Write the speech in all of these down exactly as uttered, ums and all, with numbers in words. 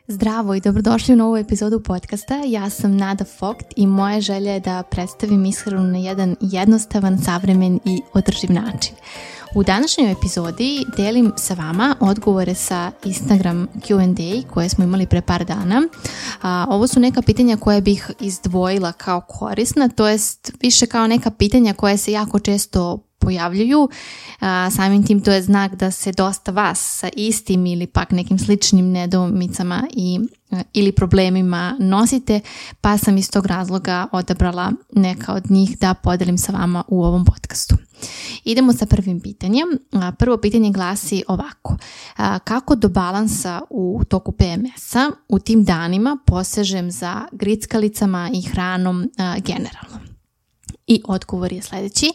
Zdravo i dobrodošli u novu epizodu podcasta. Ja sam Nada Vogt i moja želja je da predstavim ishranu na jedan jednostavan, savremen i održiv način. U današnjoj epizodi delim sa vama odgovore sa Instagram Q and A koje smo imali pre par dana. A, ovo su neka pitanja koje bih izdvojila kao korisna, to jest više kao neka pitanja koje se jako često pojavljuju. A, samim tim to je znak da se dosta vas sa istim ili pak nekim sličnim nedoumicama i ili problemima nosite, pa sam iz tog razloga odabrala neka od njih da podelim sa vama u ovom podcastu. Idemo sa prvim pitanjem. Prvo pitanje glasi ovako. Kako do balansa u toku P M S-a u tim danima posežem za grickalicama i hranom generalno? I odgovor je sljedeći.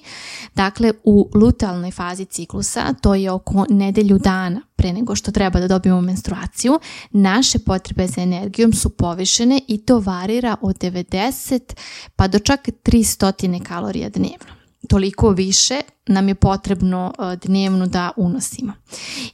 Dakle, u lutealnoj fazi ciklusa, to je oko nedelju dana pre nego što treba da dobijemo menstruaciju, naše potrebe za energijom su povišene i to varira od devedeset pa do čak tristo kalorija dnevno. Toliko više nam je potrebno dnevno da unosimo.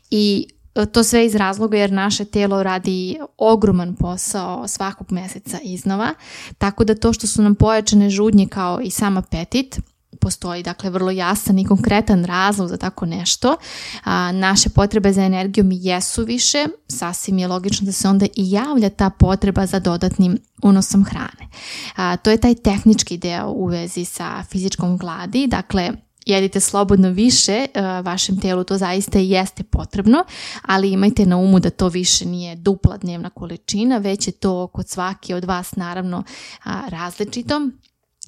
I to sve iz razloga jer naše telo radi ogroman posao svakog mjeseca iznova, tako da to što su nam pojačane žudnje kao i sam apetit, postoji dakle vrlo jasan i konkretan razlog za tako nešto. A, naše potrebe za energijom jesu više, sasvim je logično da se onda i javlja ta potreba za dodatnim unosom hrane. A, to je taj tehnički deo u vezi sa fizičkom gladi, dakle jedite slobodno više, vašem telu to zaista i jeste potrebno, ali imajte na umu da to više nije dupla dnevna količina, već je to kod svake od vas naravno različito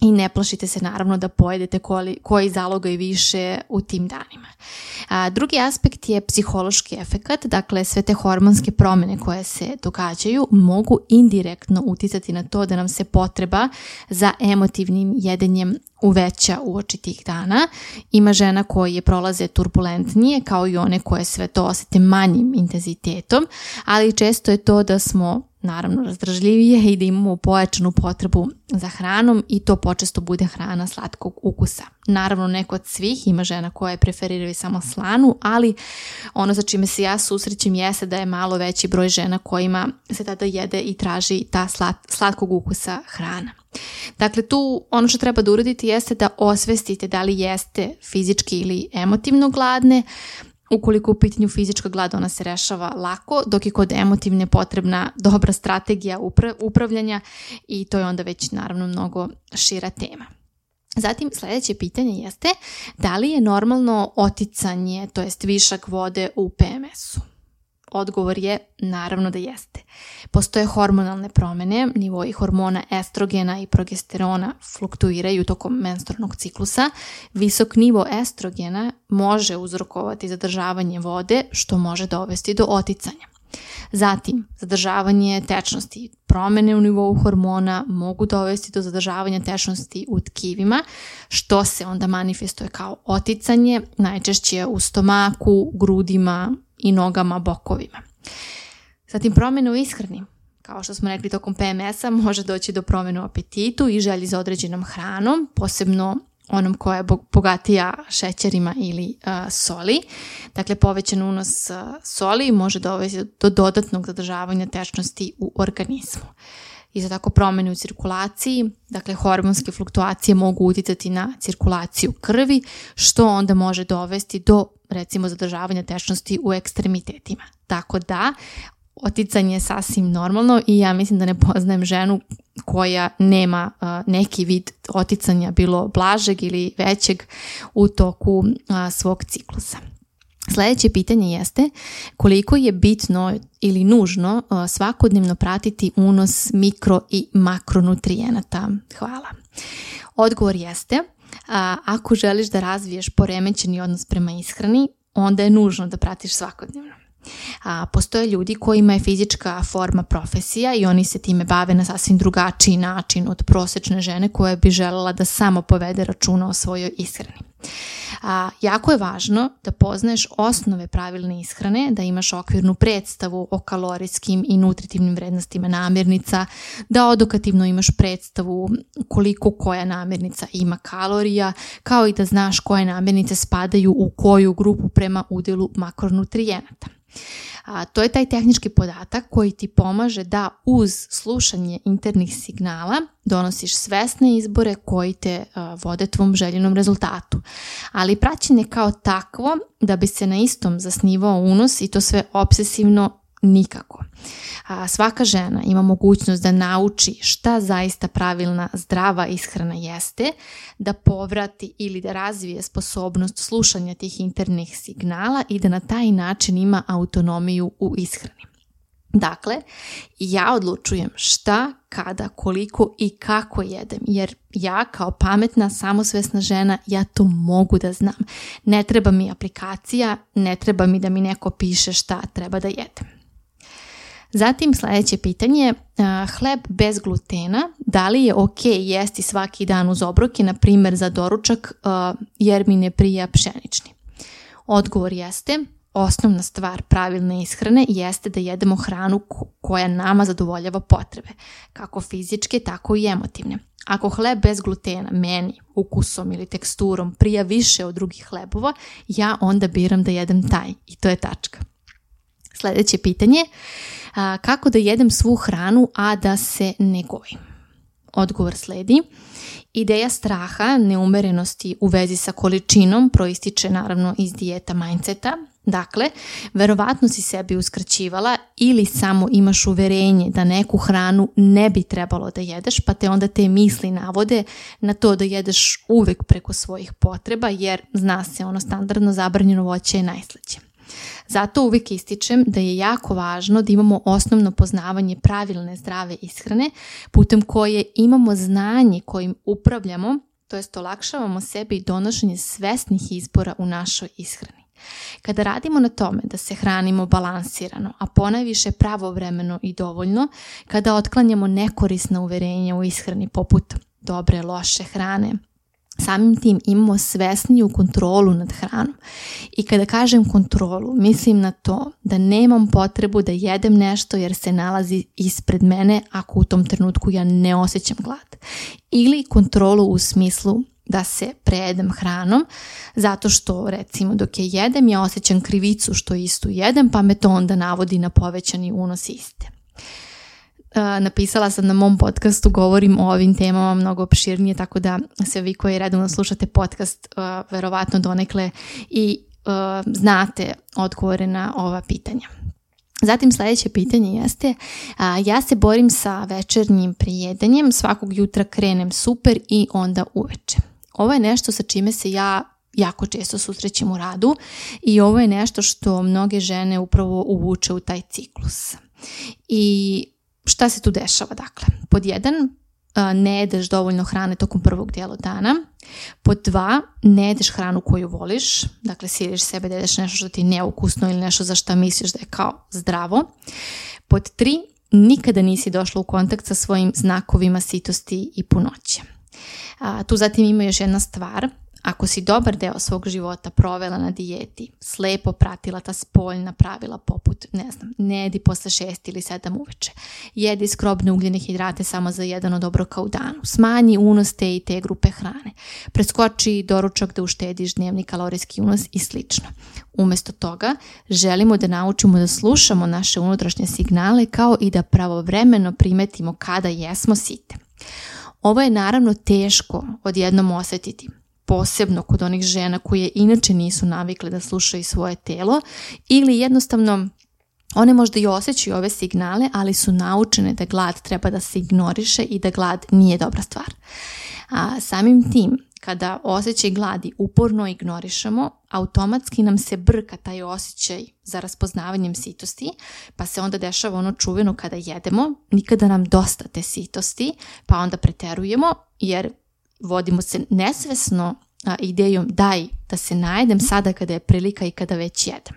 i ne plašite se naravno da pojedete koji, koji zalogaj više u tim danima. A, drugi aspekt je psihološki efekat, dakle sve te hormonske promjene koje se događaju mogu indirektno uticati na to da nam se potreba za emotivnim jedenjem uveća uoči tih dana. Ima žena koje prolaze turbulentnije kao i one koje sve to osjete manjim intenzitetom, ali često je to da smo naravno razdržljivije i da imamo pojačanu potrebu za hranom i to počesto bude hrana slatkog ukusa. Naravno ne kod svih, ima žena koje preferiraju samo slanu, ali ono za čime se ja susrećem jeste da je malo veći broj žena kojima se tada jede i traži ta slat, slatkog ukusa hrana. Dakle, tu ono što treba da uradite jeste da osvestite da li jeste fizički ili emotivno gladne. Ukoliko u pitanju fizička glad, ona se rešava lako, dok je kod emotivne potrebna dobra strategija upra- upravljanja i to je onda već naravno mnogo šira tema. Zatim sljedeće pitanje jeste da li je normalno oticanje, to jest višak vode u P M S-u? Odgovor je naravno da jeste. Postoje hormonalne promjene, nivoi hormona estrogena i progesterona fluktuiraju tokom menstrualnog ciklusa. Visok nivo estrogena može uzrokovati zadržavanje vode, što može dovesti do oticanja. Zatim, zadržavanje tečnosti. Promjene u nivou hormona mogu dovesti do zadržavanja tečnosti u tkivima, što se onda manifestuje kao oticanje, najčešće u stomaku, grudima i nogama, bokovima. Zatim promjene u ishrani. Kao što smo rekli, tokom P M S-a može doći do promjene u apetitu i želji za određenom hranom, posebno onom koja je bogatija šećerima ili uh, soli. Dakle, povećan unos uh, soli može dovesti do dodatnog zadržavanja tečnosti u organizmu. Isto tako promjene u cirkulaciji, dakle hormonske fluktuacije mogu utjecati na cirkulaciju krvi, što onda može dovesti do recimo zadržavanja tečnosti u ekstremitetima. Tako da oticanje je sasvim normalno i ja mislim da ne poznajem ženu koja nema uh, neki vid oticanja, bilo blažeg ili većeg u toku uh, svog ciklusa. Sljedeće pitanje jeste koliko je bitno ili nužno uh, svakodnevno pratiti unos mikro i makronutrijenata. Hvala. Odgovor jeste, uh, ako želiš da razviješ poremećeni odnos prema ishrani, onda je nužno da pratiš svakodnevno. A, postoje ljudi kojima je fizička forma profesija i oni se time bave na sasvim drugačiji način od prosječne žene koja bi željela da samo povede računa o svojoj ishrani. A, jako je važno da poznaješ osnove pravilne ishrane, da imaš okvirnu predstavu o kalorijskim i nutritivnim vrednostima namirnica, da odokativno imaš predstavu koliko koja namirnica ima kalorija, kao i da znaš koje namirnice spadaju u koju grupu prema udjelu makronutrijenata. A, to je taj tehnički podatak koji ti pomaže da uz slušanje internih signala donosiš svesne izbore koji te a, vode tvom željenom rezultatu. Ali praćenje kao takvo da bi se na istom zasnivao unos i to sve obsesivno nikako. A, svaka žena ima mogućnost da nauči šta zaista pravilna zdrava ishrana jeste, da povrati ili da razvije sposobnost slušanja tih internih signala i da na taj način ima autonomiju u ishrani. Dakle, ja odlučujem šta, kada, koliko i kako jedem, jer ja kao pametna, samosvesna žena, ja to mogu da znam. Ne treba mi aplikacija, ne treba mi da mi neko piše šta treba da jedem. Zatim sljedeće pitanje, hleb bez glutena, da li je ok jesti svaki dan uz obroke, na primjer za doručak, jer mi ne prija pšenični? Odgovor jeste, osnovna stvar pravilne ishrane jeste da jedemo hranu koja nama zadovoljava potrebe, kako fizičke, tako i emotivne. Ako hleb bez glutena meni ukusom ili teksturom prija više od drugih hlebova, ja onda biram da jedem taj i to je tačka. Sljedeće pitanje, a, kako da jedem svu hranu, a da se ne gojim? Odgovor sledi. Ideja straha, neumerenosti u vezi sa količinom proističe naravno iz dijeta mindseta. Dakle, verovatno si sebi uskraćivala ili samo imaš uverenje da neku hranu ne bi trebalo da jedeš, pa te onda te misli navode na to da jedeš uvek preko svojih potreba, jer zna se ono standardno zabranjeno voće je najslađe. Zato uvijek ističem da je jako važno da imamo osnovno poznavanje pravilne zdrave ishrane putem koje imamo znanje kojim upravljamo, to jest olakšavamo sebi donošenje svesnih izbora u našoj ishrani. Kada radimo na tome da se hranimo balansirano, a ponajviše pravovremeno i dovoljno, kada otklanjamo nekorisna uverenja u ishrani poput dobre, loše hrane, samim tim imamo svesniju kontrolu nad hranom. I kada kažem kontrolu, mislim na to da nemam potrebu da jedem nešto jer se nalazi ispred mene ako u tom trenutku ja ne osjećam glad. Ili kontrolu u smislu da se prejedem hranom, zato što recimo dok je jedem ja osjećam krivicu što istu jedem, pa me to onda navodi na povećani unos iste. Napisala sam na mom podcastu, govorim o ovim temama mnogo opširnije, tako da sve vi koji redovno slušate podcast uh, verovatno donekle i uh, znate odgovore na ova pitanja. Zatim sljedeće pitanje jeste, uh, ja se borim sa večernjim prijedanjem, svakog jutra krenem super i onda uveče. Ovo je nešto sa čime se ja jako često susrećem u radu i ovo je nešto što mnoge žene upravo uvuče u taj ciklus. I šta se tu dešava? Dakle, pod jedan, ne jedeš dovoljno hrane tokom prvog dijela dana. Pod dva, ne jedeš hranu koju voliš. Dakle, siliš sebe da jedeš nešto što ti je neukusno ili nešto za što misliš da je kao zdravo. Pod tri, nikada nisi došla u kontakt sa svojim znakovima sitosti i punoće. A, tu zatim ima još jedna stvar. Ako si dobar deo svog života provela na dijeti, slepo pratila ta spoljna pravila poput, ne znam, ne jedi posle šest ili sedam uveče, jedi skrobne ugljene hidrate samo za jedan od obroka u danu, smanji unos te i te grupe hrane, preskoči doručak da uštediš dnevni kalorijski unos i slično. Umjesto toga, želimo da naučimo da slušamo naše unutrašnje signale kao i da pravovremeno primetimo kada jesmo site. Ovo je naravno teško odjednom osjetiti, posebno kod onih žena koje inače nisu navikle da slušaju svoje telo ili jednostavno one možda i osjećaju ove signale, ali su naučene da glad treba da se ignoriše i da glad nije dobra stvar. A samim tim, kada osjećaj gladi uporno ignorišemo, automatski nam se brka taj osjećaj za raspoznavanjem sitosti, pa se onda dešava ono čuveno kada jedemo, nikada nam dosta te sitosti, pa onda preterujemo jer vodimo se nesvesno a, idejom daj da se najedem sada kada je prilika i kada već jedem.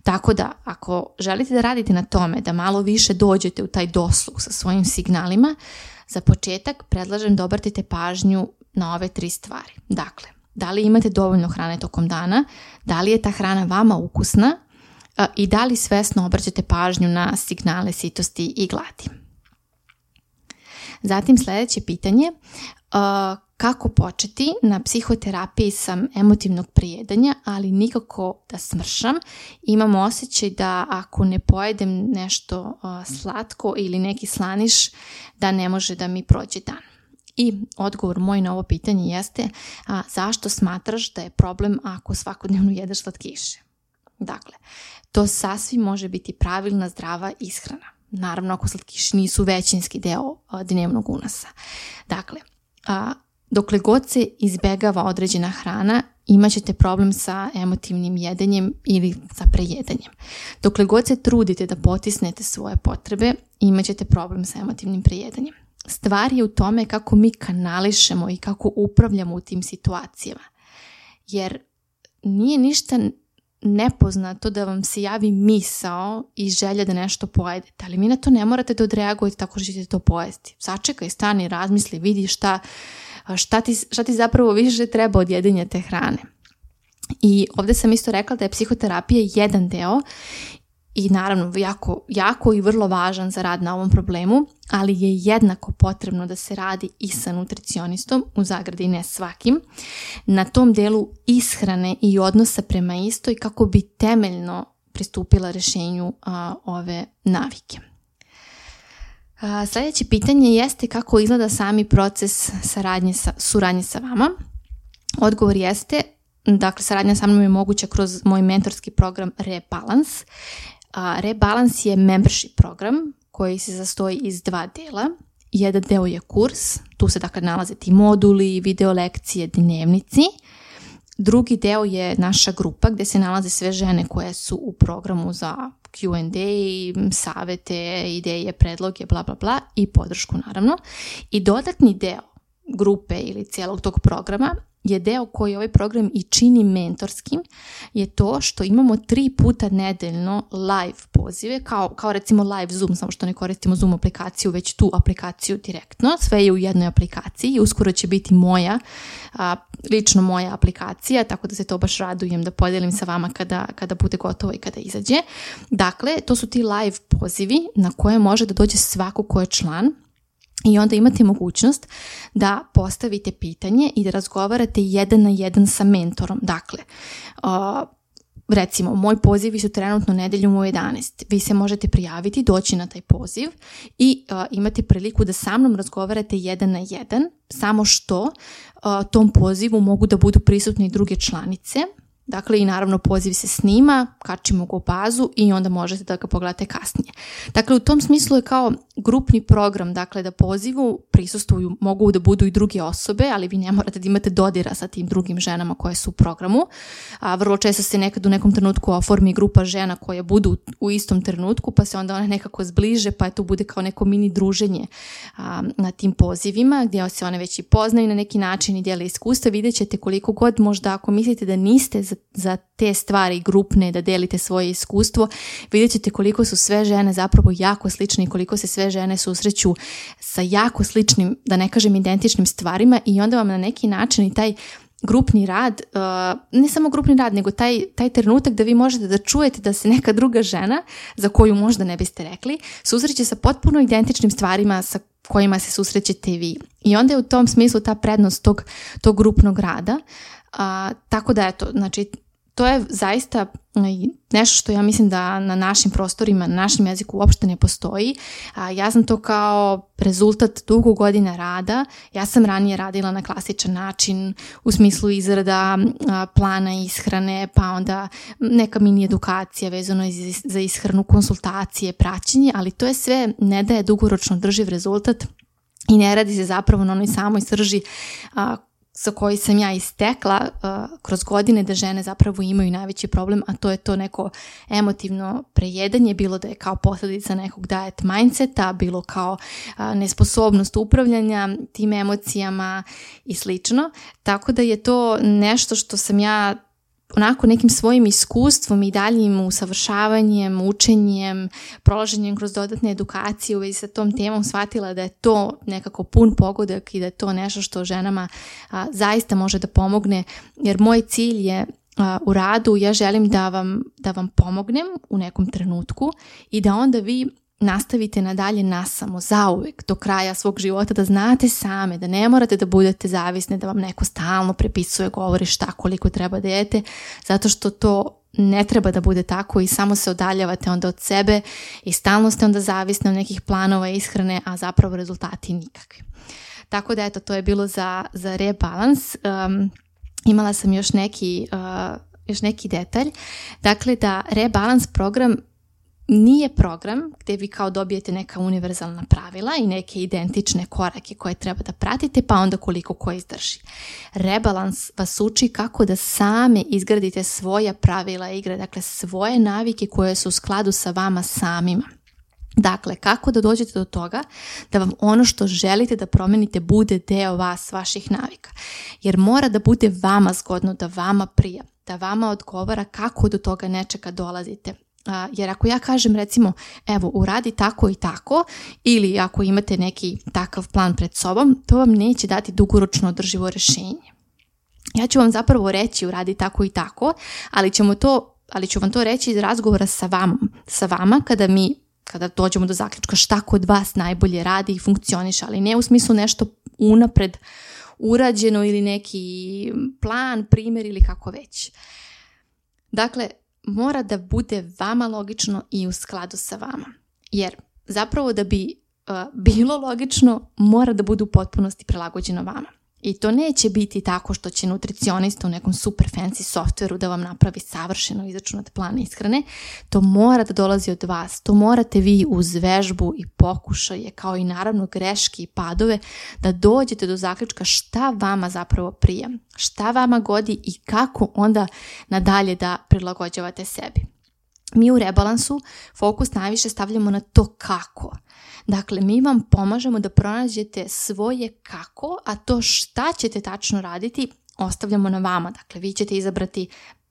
Tako da, ako želite da radite na tome da malo više dođete u taj dosluh sa svojim signalima, za početak predlažem da obratite pažnju na ove tri stvari. Dakle, da li imate dovoljno hrane tokom dana, da li je ta hrana vama ukusna a, i da li svesno obraćate pažnju na signale sitosti i gladi. Zatim sljedeće pitanje, uh, kako početi na psihoterapiji sam emotivnog prejedanja, ali nikako da smršam. Imam osjećaj da ako ne pojedem nešto uh, slatko ili neki slaniš, da ne može da mi prođe dan. I odgovor moj na ovo pitanje jeste a, zašto smatraš da je problem ako svakodnevno jedeš slatkiše? Dakle, to sasvim može biti pravilna zdrava ishrana. Naravno, ako slatkiši nisu većinski deo a, dnevnog unasa. Dakle, a, dokle god se izbegava određena hrana, imat ćete problem sa emotivnim jedenjem ili sa prejedanjem. Dokle god se trudite da potisnete svoje potrebe, imat ćete problem sa emotivnim prejedanjem. Stvar je u tome kako mi kanališemo i kako upravljamo u tim situacijama. Jer nije ništa nepoznato da vam se javi misao i želja da nešto pojedete, ali mi na to ne morate da odreagujete tako što ćete to pojesti. Sačekaj, stani, razmisli, vidi šta, šta, ti, šta ti zapravo više treba od jedenja te hrane. I ovdje sam isto rekla da je psihoterapija jedan deo i naravno jako, jako i vrlo važan za rad na ovom problemu, ali je jednako potrebno da se radi i sa nutricionistom, u zagradi ne svakim, na tom delu ishrane i odnosa prema istoj kako bi temeljno pristupila rješenju a, ove navike. A, sljedeće pitanje jeste kako izgleda sami proces saradnje sa, suradnje sa vama. Odgovor jeste, dakle, saradnja sa mnom je moguća kroz moj mentorski program Rebalance. A, Rebalance je membership program koji se sastoji iz dva dela. Jedan deo je kurs, tu se dakle nalaze ti moduli, video lekcije, dnevnici. Drugi deo je naša grupa gdje se nalaze sve žene koje su u programu za Q and A, savete, ideje, predloge, bla bla bla i podršku naravno. I dodatni deo grupe ili cijelog tog programa je deo koji ovaj program i čini mentorskim, je to što imamo tri puta nedeljno live pozive, kao, kao recimo live Zoom, samo što ne koristimo Zoom aplikaciju, već tu aplikaciju direktno. Sve je u jednoj aplikaciji i uskoro će biti moja, a, lično moja aplikacija, tako da se to baš radujem da podijelim sa vama kada, kada bude gotovo i kada izađe. Dakle, to su ti live pozivi na koje može da dođe svako ko je član. I onda imate mogućnost da postavite pitanje i da razgovarate jedan na jedan sa mentorom. Dakle, uh, recimo, moj pozivi su trenutno nedeljom u jedanaest. Vi se možete prijaviti, doći na taj poziv i uh, imate priliku da sa mnom razgovarate jedan na jedan, samo što uh, tom pozivu mogu da budu prisutne i druge članice. Dakle, i naravno poziv se snima, kačimo ga u bazu i onda možete da ga pogledate kasnije. Dakle, u tom smislu je kao grupni program, dakle da pozivu prisustvuju, mogu da budu i druge osobe, ali vi ne morate da imate dodira sa tim drugim ženama koje su u programu. A, vrlo često se nekad u nekom trenutku oformi grupa žena koje budu u istom trenutku, pa se onda one nekako zbliže, pa to bude kao neko mini druženje a, na tim pozivima, gdje se one već i poznaju na neki način i dijele iskustva. Vidjet ćete koliko god možda ako mislite da niste za za te stvari grupne, da delite svoje iskustvo, vidjet ćete koliko su sve žene zapravo jako slične i koliko se sve žene susreću sa jako sličnim, da ne kažem identičnim stvarima i onda vam na neki način i taj grupni rad, uh, ne samo grupni rad, nego taj, taj trenutak da vi možete da čujete da se neka druga žena, za koju možda ne biste rekli, susreće sa potpuno identičnim stvarima sa kojima se susrećete vi. I onda je u tom smislu ta prednost tog, tog grupnog rada. Uh, tako da eto, znači to je zaista nešto što ja mislim da na našim prostorima, na našem jeziku uopšte ne postoji. Uh, ja sam to kao rezultat dugo godina rada. Ja sam ranije radila na klasičan način u smislu izrada uh, plana ishrane, pa onda neka mini edukacija vezano za ishranu, konsultacije, praćenje, ali to je sve ne daje dugoročno drživ rezultat i ne radi se zapravo na onoj samoj srži uh, sa koji sam ja istekla uh, kroz godine da žene zapravo imaju najveći problem, a to je to neko emotivno prejedanje, bilo da je kao posljedica nekog diet mindseta, bilo kao uh, nesposobnost upravljanja tim emocijama i slično. Tako da je to nešto što sam ja onako nekim svojim iskustvom i daljim usavršavanjem, učenjem, prolaženjem kroz dodatne edukacije u vezi sa tom temom shvatila da je to nekako pun pogodak i da je to nešto što ženama a, zaista može da pomogne, jer moj cilj je a, u radu, ja želim da vam, da vam pomognem u nekom trenutku i da onda vi nastavite nadalje nasamo, zauvek, do kraja svog života, da znate same, da ne morate da budete zavisne, da vam neko stalno prepisuje, govori šta, koliko treba da jete, zato što to ne treba da bude tako i samo se odaljavate onda od sebe i stalno ste onda zavisni od nekih planova ishrane, a zapravo rezultati nikakvi. Tako da eto, to je bilo za, za rebalans. Um, imala sam još neki, uh, još neki detalj. Dakle, da rebalans program nije program gdje vi kao dobijete neka univerzalna pravila i neke identične korake koje treba da pratite, pa onda koliko ko izdrži. Rebalans vas uči kako da same izgradite svoja pravila igre, dakle svoje navike koje su u skladu sa vama samima. Dakle, kako da dođete do toga da vam ono što želite da promenite bude deo vas, vaših navika. Jer mora da bude vama zgodno, da vama prija, da vama odgovara kako do toga nečega dolazite. Jer ako ja kažem recimo, evo uradi tako i tako, ili ako imate neki takav plan pred sobom, to vam neće dati dugoročno održivo rješenje. Ja ću vam zapravo reći uradi tako i tako, ali, ćemo to, ali ću vam to reći iz razgovora sa vama, sa vama kada mi kada dođemo do zaključka šta kod vas najbolje radi i funkcioniše, ali ne u smislu nešto unapred urađeno ili neki plan, primjer ili kako već. Dakle, mora da bude vama logično i u skladu sa vama. Jer zapravo da bi uh, bilo logično, mora da bude u potpunosti prilagođeno vama. I to neće biti tako što će nutricionista u nekom super fancy softveru da vam napravi savršeno izračunat plan ishrane. To mora da dolazi od vas. To morate vi uz vežbu i pokušaje, kao i naravno greške i padove, da dođete do zaključka šta vama zapravo prija, šta vama godi i kako onda nadalje da prilagođavate sebi. Mi u rebalansu fokus najviše stavljamo na to kako. Dakle, mi vam pomažemo da pronađete svoje kako, a to šta ćete tačno raditi ostavljamo na vama. Dakle, vi ćete izabrati,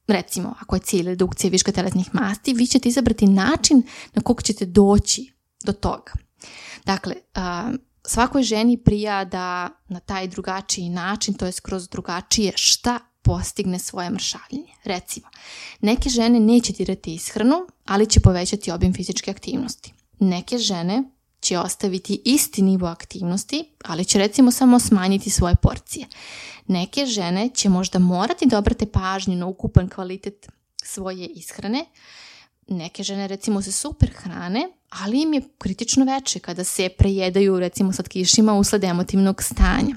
recimo, ako je cilj redukcije viška telesnih masti, vi ćete izabrati način na kog ćete doći do toga. Dakle, svakoj ženi prija da na taj drugačiji način, to je skroz drugačije, šta postigne svoje mršavljenje. Recimo, neke žene neće dirati ishranu, ali će povećati obim fizičke aktivnosti. Neke žene će ostaviti isti nivo aktivnosti, ali će recimo samo smanjiti svoje porcije. Neke žene će možda morati da obrate pažnju na ukupan kvalitet svoje ishrane. Neke žene recimo se super hrane, ali im je kritično veče kada se prejedaju recimo slatkišima usled emotivnog stanja.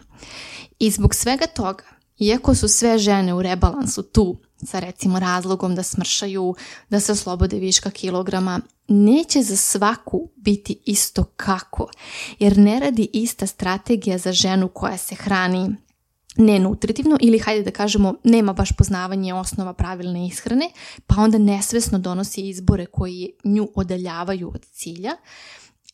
I zbog svega toga, iako su sve žene u rebalansu tu sa recimo razlogom da smršaju, da se oslobode viška kilograma, neće za svaku biti isto kako, jer ne radi ista strategija za ženu koja se hrani nenutritivno ili, hajde da kažemo, nema baš poznavanje osnova pravilne ishrane, pa onda nesvesno donosi izbore koji nju odaljavaju od cilja.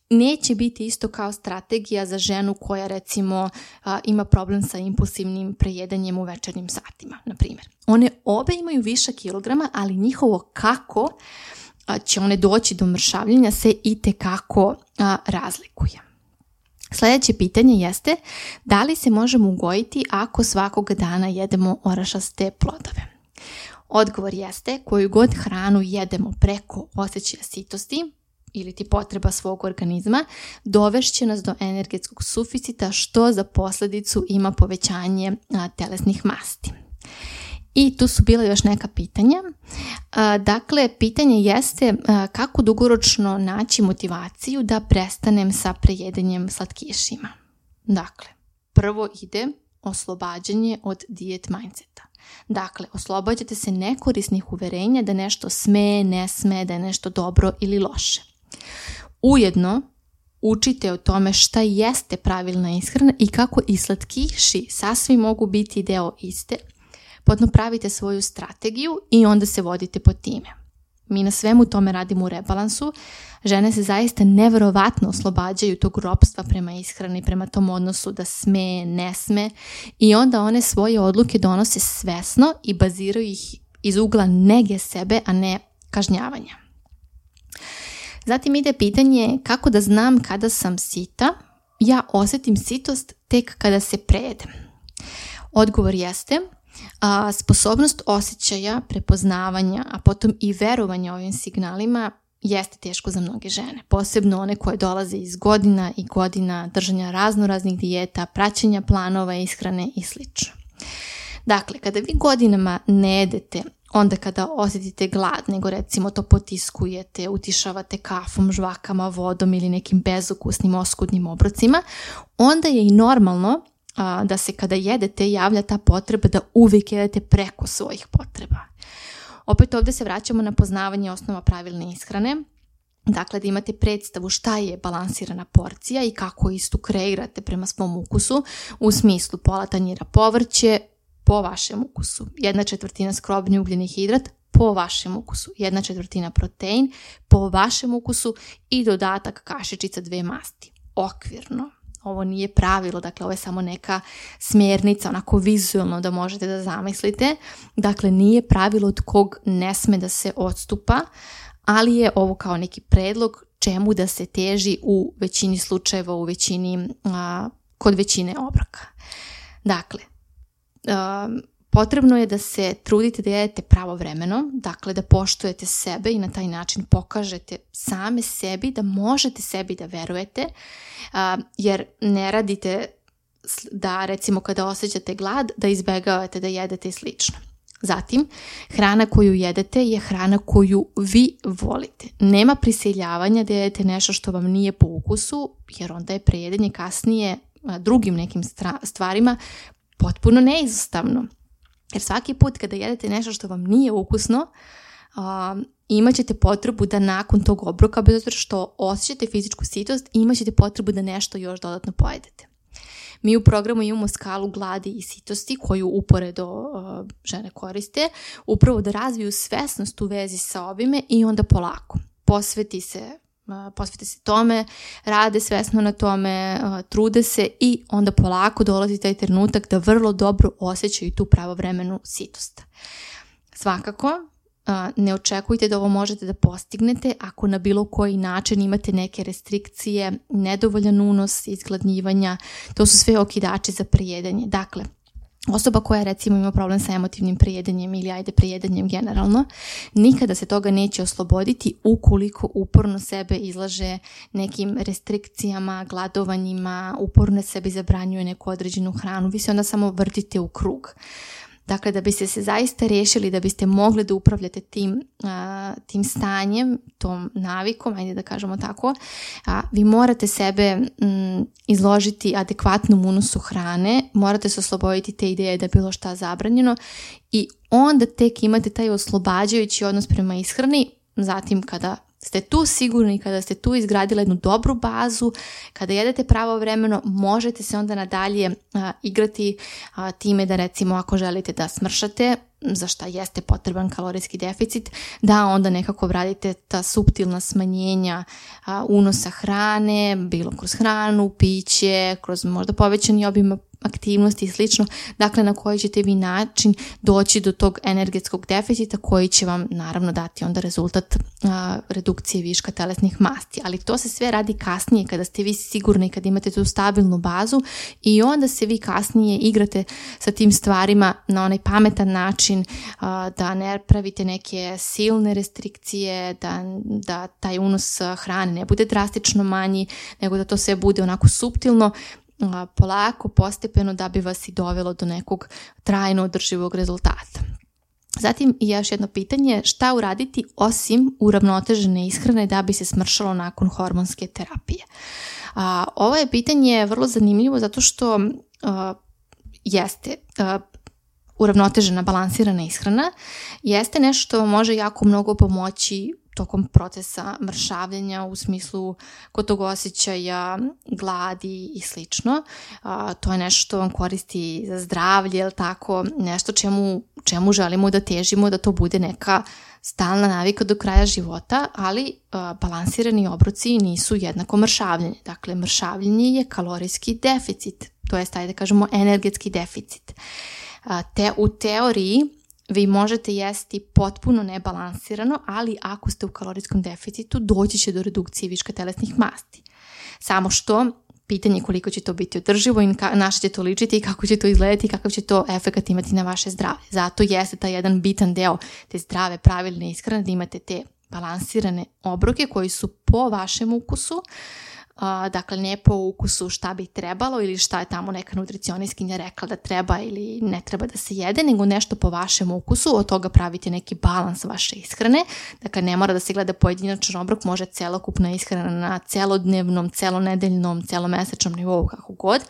Neće biti isto kao strategija za ženu koja recimo a, ima problem sa impulsivnim prejedanjem u večernjim satima, na primjer. One obe imaju viša kilograma, ali njihovo kako a, će one doći do mršavljenja se itekako a, razlikuje. Sljedeće pitanje jeste da li se možemo ugojiti ako svakog dana jedemo orašaste plodove? Odgovor jeste koju god hranu jedemo preko osjećaja sitosti ili ti potreba svog organizma, dovešće nas do energetskog suficita što za posljedicu ima povećanje a, telesnih masti. I tu su bila još neka pitanja. A, dakle, pitanje jeste a, kako dugoročno naći motivaciju da prestanem sa prejedanjem slatkišima. Dakle, prvo ide oslobađanje od dijet mindseta. Dakle, oslobađate se nekorisnih uverenja da nešto sme, ne sme, da je nešto dobro ili loše. Ujedno, učite o tome šta jeste pravilna ishrana i kako i slatkiši sasvim mogu biti deo iste. Potom pravite svoju strategiju i onda se vodite po time. Mi na svemu tome radimo u rebalansu. Žene se zaista neverovatno oslobađaju tog ropstva prema ishrani, prema tom odnosu da sme, ne sme i onda one svoje odluke donose svesno i baziraju ih iz ugla nege sebe, a ne kažnjavanja. Zatim ide pitanje kako da znam kada sam sita. Ja osjetim sitost tek kada se prejedem. Odgovor jeste a, sposobnost osjećaja, prepoznavanja, a potom i verovanja ovim signalima jeste teško za mnoge žene, posebno one koje dolaze iz godina i godina držanja raznoraznih dijeta, praćenja planova ishrane i slično. Dakle, kada vi godinama ne jedete, onda kada osjetite glad, nego recimo to potiskujete, utišavate kafom, žvakama, vodom ili nekim bezukusnim, oskudnim obrocima, onda je i normalno a, da se kada jedete javlja ta potreba da uvijek jedete preko svojih potreba. Opet ovdje se vraćamo na poznavanje osnova pravilne ishrane, dakle da imate predstavu šta je balansirana porcija i kako istu kreirate prema svom ukusu, u smislu pola tanjira povrće, po vašem ukusu, jedna četvrtina skrobni ugljeni hidrat po vašem ukusu, jedna četvrtina protein po vašem ukusu i dodatak kašičica dve masti. Okvirno. Ovo nije pravilo, dakle ovo je samo neka smjernica, onako vizualno da možete da zamislite. Dakle, nije pravilo od kog ne sme da se odstupa, ali je ovo kao neki predlog čemu da se teži u većini slučajeva, u većini, a, kod većine obroka. Dakle, Um, potrebno je da se trudite da jedete pravovremeno, dakle da poštujete sebe i na taj način pokažete same sebi da možete sebi da verujete, uh, jer ne radite da recimo kada osjećate glad da izbegavate da jedete i slično. Zatim, hrana koju jedete je hrana koju vi volite. Nema prisiljavanja da jedete nešto što vam nije po ukusu, jer onda je prejedanje kasnije uh, drugim nekim stvarima potpuno neizostavno. Jer svaki put kada jedete nešto što vam nije ukusno, uh, imat ćete potrebu da nakon tog obroka, bez obzira što osjećate fizičku sitost, imat ćete potrebu da nešto još dodatno pojedete. Mi u programu imamo skalu gladi i sitosti koju uporedo uh, žene koriste, upravo da razviju svesnost u vezi sa ovime i onda polako posveti se posvete se tome, rade svesno na tome, trude se i onda polako dolazi taj trenutak da vrlo dobro osjećaju tu pravovremenu sitost. Svakako, ne očekujte da ovo možete da postignete ako na bilo koji način imate neke restrikcije, nedovoljan unos, izgladnjivanja, to su sve okidači za prejedanje. Dakle, osoba koja recimo ima problem sa emotivnim prejedanjem ili ajde prejedanjem generalno, nikada se toga neće osloboditi ukoliko uporno sebe izlaže nekim restrikcijama, gladovanjima, uporno sebi zabranjuje neku određenu hranu, vi se onda samo vrtite u krug. Dakle, da biste se zaista riješili, da biste mogli da upravljate tim, a, tim stanjem, tom navikom, ajde da kažemo tako, a, vi morate sebe m, izložiti adekvatnom unosu hrane, morate se osloboditi te ideje da je bilo šta zabranjeno i onda tek imate taj oslobađajući odnos prema ishrani. Zatim kada ste tu sigurni, kada ste tu izgradili jednu dobru bazu, kada jedete pravovremeno, možete se onda nadalje a, igrati a, time da recimo ako želite da smršate, za šta jeste potreban kalorijski deficit, da onda nekako vratite ta suptilna smanjenja a, unosa hrane, bilo kroz hranu, piće, kroz možda povećani obim aktivnosti i slično, dakle na koji ćete vi način doći do tog energetskog deficita koji će vam naravno dati onda rezultat a, redukcije viška telesnih masti, ali to se sve radi kasnije kada ste vi sigurni, kada imate tu stabilnu bazu i onda se vi kasnije igrate sa tim stvarima na onaj pametan način, a, da ne pravite neke silne restrikcije, da, da taj unos hrane ne bude drastično manji, nego da to sve bude onako suptilno, polako, postepeno da bi vas i dovelo do nekog trajno održivog rezultata. Zatim još jedno pitanje, šta uraditi osim uravnotežene ishrane da bi se smršalo nakon hormonske terapije? A, ovo je pitanje vrlo zanimljivo zato što a, jeste a, uravnotežena, balansirana ishrana, jeste nešto što može jako mnogo pomoći tokom procesa mršavljenja u smislu kod tog osjećaja, gladi i slično. A, to je nešto što vam koristi za zdravlje, ili tako, nešto čemu, čemu želimo da težimo, da to bude neka stalna navika do kraja života, ali a, balansirani obroci nisu jednako mršavljenje. Dakle, mršavljenje je kalorijski deficit, to jest, ajde da kažemo, energetski deficit. A, te, u teoriji vi možete jesti potpuno nebalansirano, ali ako ste u kalorijskom deficitu, doći će do redukcije viška telesnih masti. Samo što, pitanje je koliko će to biti održivo i na što će to ličiti i kako će to izgledati i kakav će to efekat imati na vaše zdravlje. Zato jeste taj jedan bitan deo te zdrave, pravilne ishrane, da imate te balansirane obroke koji su po vašem ukusu, Uh, dakle ne po ukusu šta bi trebalo ili šta je tamo neka nutricionistkinja rekla da treba ili ne treba da se jede, nego nešto po vašem ukusu, od toga pravite neki balans vaše ishrane. Dakle ne mora da se gleda pojedinačan obrok, može celokupna ishrana na celodnevnom, celonedeljnom, celomesečnom nivou, kako god.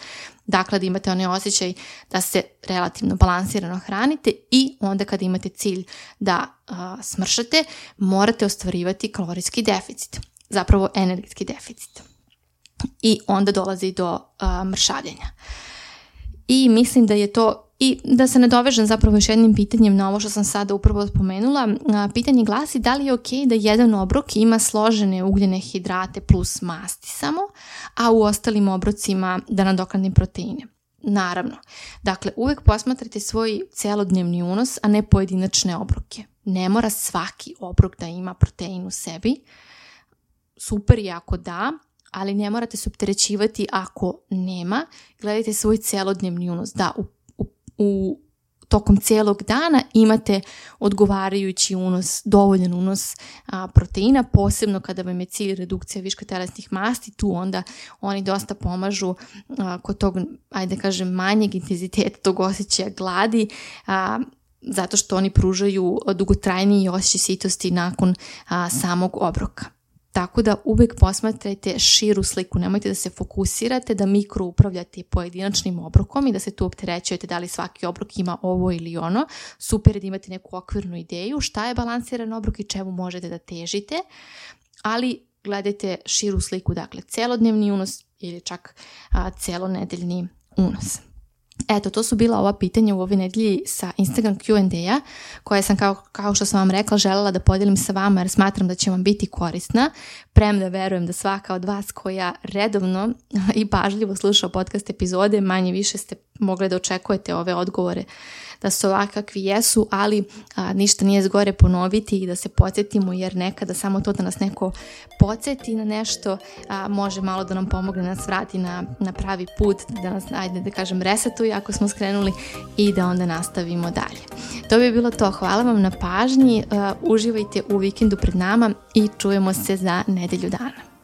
Dakle da imate onaj osjećaj da se relativno balansirano hranite i onda kada imate cilj da uh, smršate, morate ostvarivati kalorijski deficit, zapravo energetski deficit. I onda dolazi do uh, mršavljenja. I mislim da je to, i da se nadovežem zapravo još jednim pitanjem na ovo što sam sada upravo spomenula, uh, pitanje glasi da li je ok da jedan obrok ima složene ugljene hidrate plus masti samo, a u ostalim obrocima da nadoknadim proteine. Naravno, dakle uvek posmatrajte svoj celodnevni unos, a ne pojedinačne obroke. Ne mora svaki obrok da ima protein u sebi, super je ako da, ali ne morate se opterećivati ako nema. Gledajte svoj celodnevni unos. Da, u, u, u tokom celog dana imate odgovarajući unos, dovoljan unos a, proteina, posebno kada vam je cilj redukcija viška telesnih masti, tu onda oni dosta pomažu a, kod tog, ajde kažem, manjeg intenziteta tog osjećaja gladi, a, zato što oni pružaju dugotrajniji osjećaj sitosti nakon a, samog obroka. Tako da uvek posmatrajte širu sliku, nemojte da se fokusirate, da mikro upravljate pojedinačnim obrokom i da se tu opterećujete da li svaki obrok ima ovo ili ono. Super je da imate neku okvirnu ideju šta je balansiran obrok i čemu možete da težite, ali gledajte širu sliku, dakle celodnevni unos ili čak a, celonedeljni unos. Eto, to su bila ova pitanja u ovoj nedelji sa Instagram Q and A-a koje sam, kao, kao što sam vam rekla, željela da podijelim sa vama jer smatram da će vam biti korisna. Premda verujem da svaka od vas koja redovno i pažljivo sluša podcast epizode, manje više ste mogli da očekujete ove odgovore da su ovakvi jesu, ali a, ništa nije zgore ponoviti i da se podsjetimo, jer nekada samo to da nas neko podsjeti na nešto a, može malo da nam pomogne, da nas vrati na, na pravi put, da nas, ajde da kažem, resetuje ako smo skrenuli i da onda nastavimo dalje. To bi bilo to. Hvala vam na pažnji, uh, uživajte u vikendu pred nama i čujemo se za nedelju dana.